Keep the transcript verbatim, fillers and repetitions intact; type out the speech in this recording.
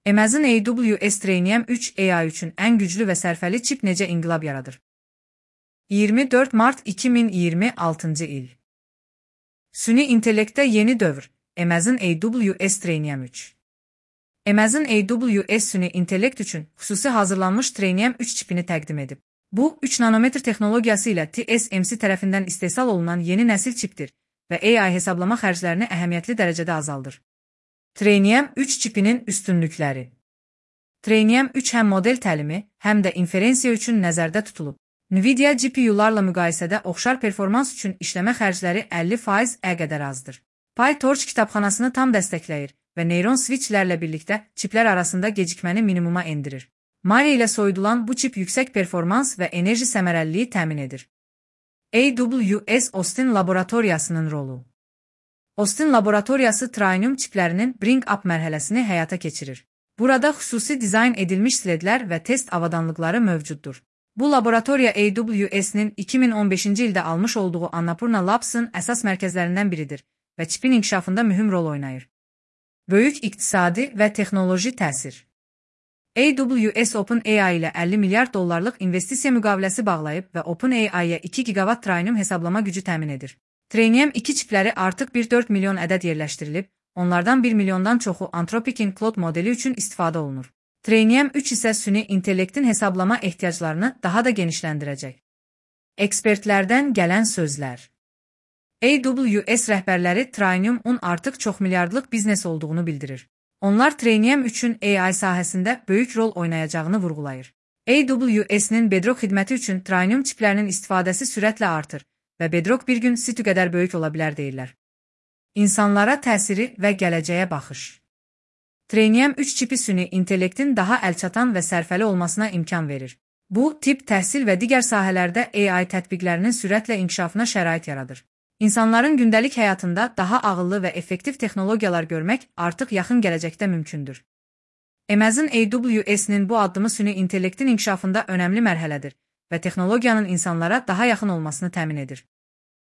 Amazon A W S Trainium üç A I üçün ən güclü və sərfəli çip necə inqilab yaradır? iyirmi dörd mart iki min iyirmi altıncı il. Süni intellektdə yeni dövr. Amazon A W S Trainium üç. Amazon A W S süni intellekt üçün xüsusi hazırlanmış Trainium üç çipini təqdim edib. Bu, üç nanometr texnologiyası ilə T S M C tərəfindən istehsal olunan yeni nəsil çipdir və A I hesablama xərclərini əhəmiyyətli dərəcədə azaldır. Trainium üç çipinin üstünlükləri. Trainium üç həm model təlimi, həm də inferensiya üçün nəzərdə tutulub. Nvidia G P U-larla müqayisədə oxşar performans üçün işləmə xərcləri əlli faiz qədər azdır. PyTorch kitabxanasını tam dəstəkləyir və neyron switchlərlə birlikdə çiplər arasında gecikməni minimuma endirir. Mali ilə soyudulan bu çip yüksək performans və enerji səmərəliliyi təmin edir. A W S Austin laboratoriyasının rolu. Austin laboratoriyası Trainium çiplərinin bring-up mərhələsini həyata keçirir. Burada xüsusi dizayn edilmiş sledlər və test avadanlıqları mövcuddur. Bu laboratoriya A W S-nin iki min on beşinci ildə almış olduğu Annapurna Labs-ın əsas mərkəzlərindən biridir və çipin inkişafında mühüm rol oynayır. Böyük iqtisadi və texnoloji təsir. A W S OpenAI ilə əlli milyard dollarlıq investisiya müqaviləsi bağlayıb və OpenAI-yə iki gigawatt Trainium hesablama gücü təmin edir. Trainium iki çipləri artıq bir dörd milyon ədəd yerləşdirilib, onlardan bir milyondan çoxu Anthropic'in Claude modeli üçün istifadə olunur. Trainium üç isə süni intellektin hesablama ehtiyaclarını daha da genişləndirəcək. Ekspertlərdən gələn sözlər. A W S rəhbərləri Trainium on artıq çox milyardlıq biznes olduğunu bildirir. Onlar Trainium üçün A I sahəsində böyük rol oynayacağını vurğulayır. A W S-nin Bedrock xidməti üçün Trainium çiplərinin istifadəsi sürətlə artır və Bedrock bir gün Situ qədər böyük ola bilər deyirlər. İnsanlara təsiri və gələcəyə baxış. Trainium üç çipi süni intellektin daha əlçatan və sərfəli olmasına imkan verir. Bu, tibb, təhsil və digər sahələrdə A I tətbiqlərinin sürətlə inkişafına şərait yaradır. İnsanların gündəlik həyatında daha ağıllı və effektiv texnologiyalar görmək artıq yaxın gələcəkdə mümkündür. Amazon A W S-nin bu addımı süni intellektin inkişafında önəmli mərhələdir və texnologiyanın insanlara daha yaxın olmasını təmin edir.